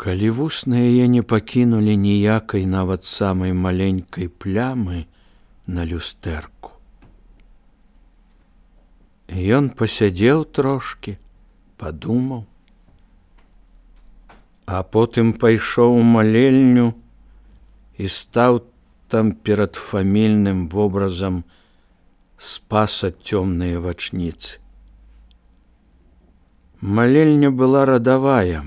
Калі вусны яе не пакінулі ніякай нават самай маленькай плямы на люстэрку. Ён пасядзеў трошкі, падумаў, а потым пайшоў у малельню і стаў там перад фамільным вобразам Спаса цёмныя вачніцы. Малельня была радавая,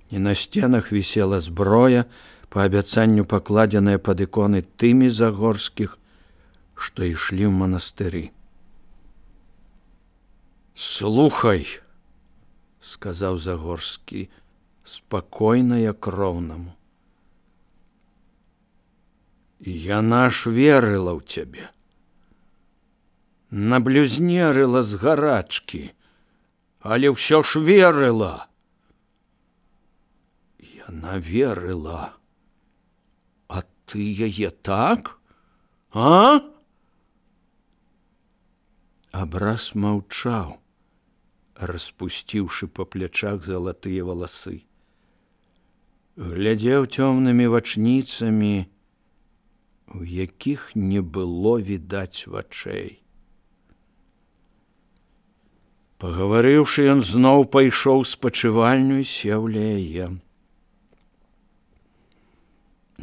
і на сценах вісела зброя, па абяцанню пакладзеная пад іконы тымі загорскіх, што ішлі ў манастыры. «Слухай», – сказаў Загорскі, спакойна як роўнаму. «Яна ж верыла ў цябе. Наблюзнерыла з гарачкі, але ўсё ж верыла». «Яна верыла. А ты яе так? А?» Абраз маўчаў, распусціўшы па плячах залатыя валасы. Глядзеў цёмнымі вачніцамі, у якіх не было відаць вачэй. Пагаварыўшы, ён зноў пайшоў у спачывальню і сеў ля яе.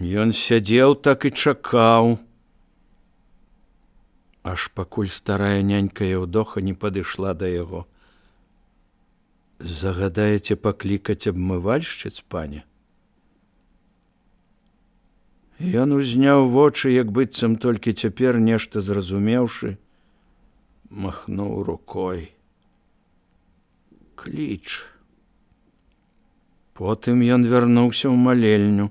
Ён сядзеў так і чакаў, аж пакуль старая нянька Яўдоха не падышла да яго. «Загадаеце паклікаць абмывальшчыц, пане?» Ён узняў вочы, як быццам толькі цяпер нешта зразумеўшы, махнуў рукой. «Кліч». Потым ён вярнуўся ў малельню,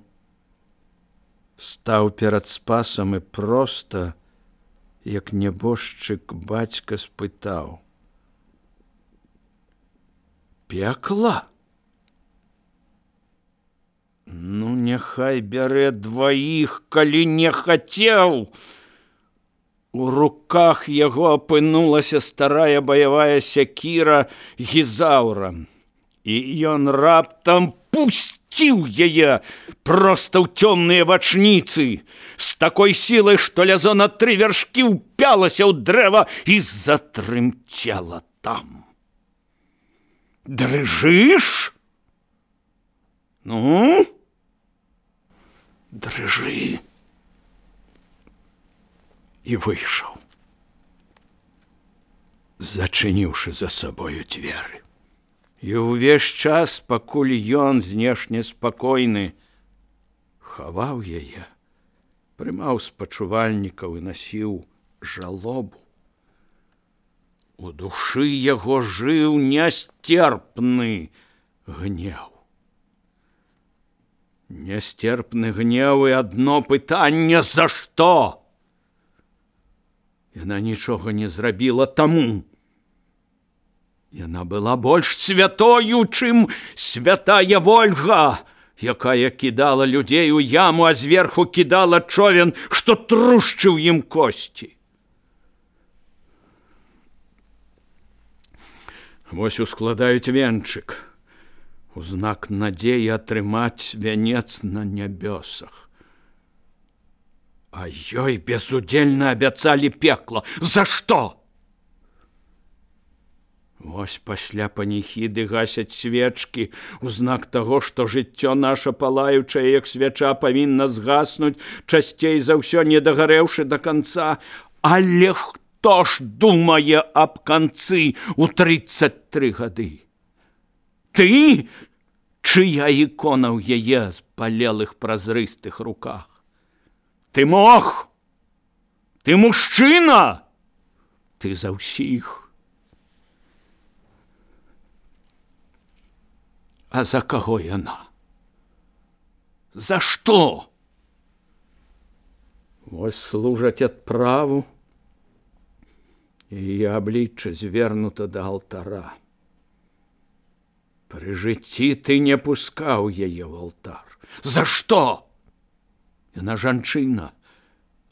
стаў перад Спасам і проста, як нябожчык бацька, спытаў: «Пекла? Ну, няхай бярэ дваіх, калі не хацеў». У руках яго апынулася старая баявая сякіра Гізаўра, і ён раптам пусціў яе проста ў цёмныя вачніцы з такой сілай, што лязо на 3 вяршкі ўпялася ў дрэва і затрымцела там. «Дрыжыш? Ну, дрыжы». І выйшаў, зачыніўшы за сабою дзверы. І ўвесь час, пакуль ён, знешне спакойны, хаваў яе, прымаў спачувальнікаў і насіў жалобу, у душы яго жыў нясцерпны гнеў. Нясцерпны гнеў і адно пытанне: за што? Яна нічога не зрабіла таму. Яна была больш святою, чым святая Вольга, якая кідала людзей у яму, а зверху кідала човен, што трушчыў ім косці. Вось ускладаюць венчык, у знак надзеі атрымаць вянец на нябёсах. А ёй безудзельна абяцалі пекла. За што? Вось пасля паніхіды гасяць свечкі у знак таго, што жыццё наша палаючае, як свяча, павінна згаснуць, часцей за ўсё не дагарэўшы да канца. Але хто ж думае аб канцы ў 33 гады? Ты, чыя ікона ў яе спалелых празрыстых руках? Ты мог? Ты мужчына? Ты за ўсіх. А за каго яна? За што? Вось служаць адправу, і яе аблічча звернута да алтара. Пры жыцці ты не пускаў яе ў алтар. За што? Яна жанчына,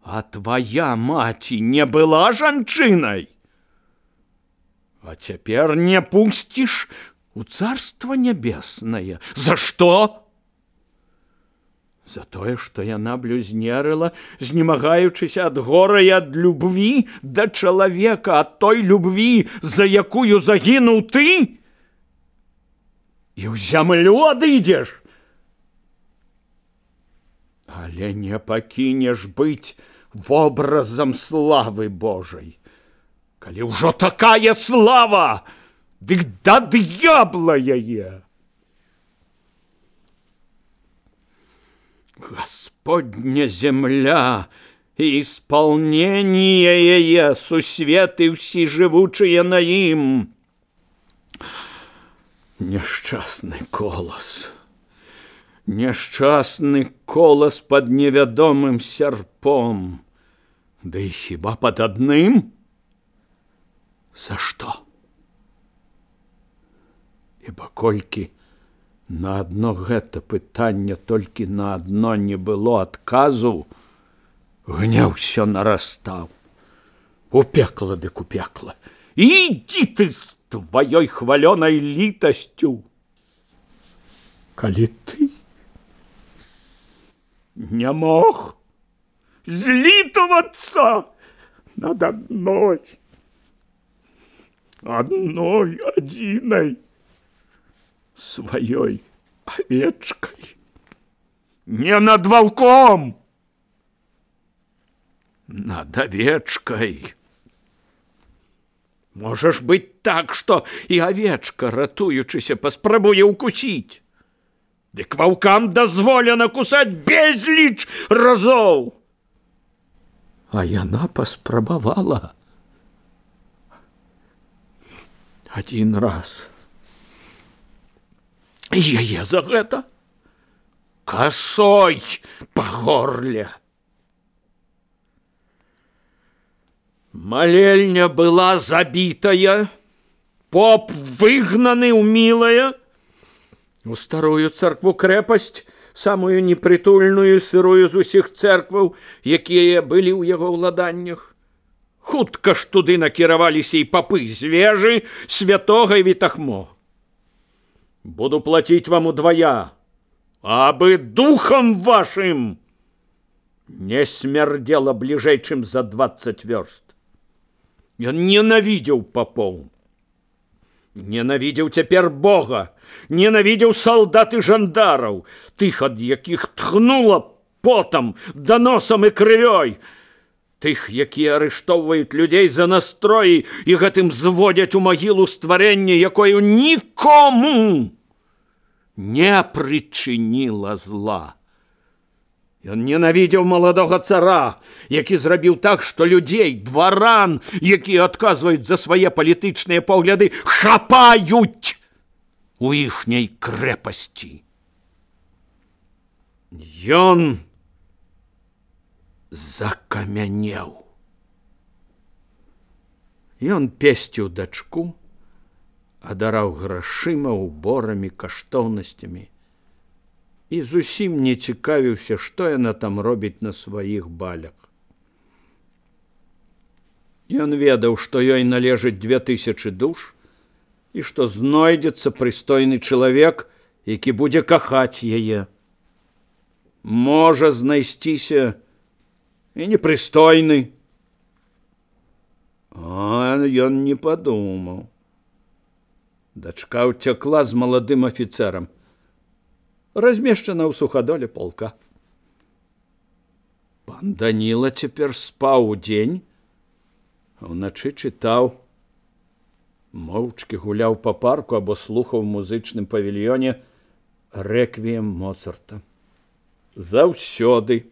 а твая маці не была жанчынай. А цяпер не пусціш у царства нябеснае. За што? За тое, што яна блюзнерыла, знемагаючыся ад гора і ад любві да чалавека, ад той любві, за якую загінуў ты? І ў зямлю адыдзеш? Але не пакінеш быць вобразам славы Божай. Калі ўжо такая слава, дык да д'ябла яе. Господня земля и исполнение ее, сусветы все живучие на им. Несчастный колос под невядомым серпом. Да и хіба под одним? За что? Ибо колькі на одно гэта пытанне толькі на одно не было адказу, гнеў усё нарастаў. У пекла дык у пекла. Ідзі ты з тваёй хвалёнай літасцю. Калі ты не мог злітавацца над одной адзінай своей овечкой, не над волком, над овечкой. Можешь быть так, что и овечка, ратуючыся, паспрабуе укусить. Дык волкам дозволено кусать безліч разоў. А яна паспрабавала один раз. Яе за гэта косой по горле. Молельня была забитая, поп выгнаны ў мілая, у старую царкву крэпасць, самую непрытульную, сырую з усіх церкваў, якія былі ў яго ўладаннях. Хутка ж туды накіраваліся і папы з вежы святога Вітахмо. Буду платить вам удвоя, абы духом вашим не смердело ближей, чем за 20 верст. Он ненавидел попов, ненавидел теперь Бога, ненавидел солдат и жандаров, тых, ад якіх тхнуло потом, доносом и крывёй, тых, якія арыштоўваюць людзей за настроі і гэтым зводзяць у магілу стварэнне, якое нікому не причинила зла. Ён ненавидел молодого цара, які зрабіў так, што людзей, дваран, якія адказваюць за свае палітычныя погляды, хапаюць у іхняй крэпасці. Ён закамянеў. Ён песціў дачку, адараў грашыма, уборамі, каштоўнасцямі і зусім не цікавіўся, што яна там робіць на сваіх балях. Ён ведаў, што ёй належыць 2000 душ і што знойдзецца прыстойны чалавек, які будзе кахаць яе. Можа знайсціся і непрыстойны. А ён не падумаў. Дачка ўцякла з маладым афіцэрам, размешчана ў сухадоле полка. Пан Даніла цяпер спаў удзень, а ўначы чытаў, моўчкі гуляў па парку або слухаў у музычным павільёне рэквіем Моцарта. Заўсёды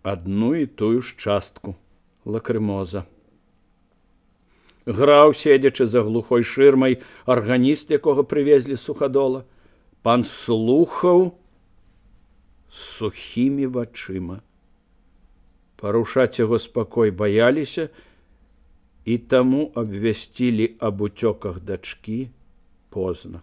адну і тую ж частку лакрымоза. Граў, седзячы за глухой шырмай, арганіст, якога прывезлі з Сухадола. Пан слухаў сухімі вачыма. Парушаць яго спакой баяліся і таму абвясцілі аб уцёках дачкі позна.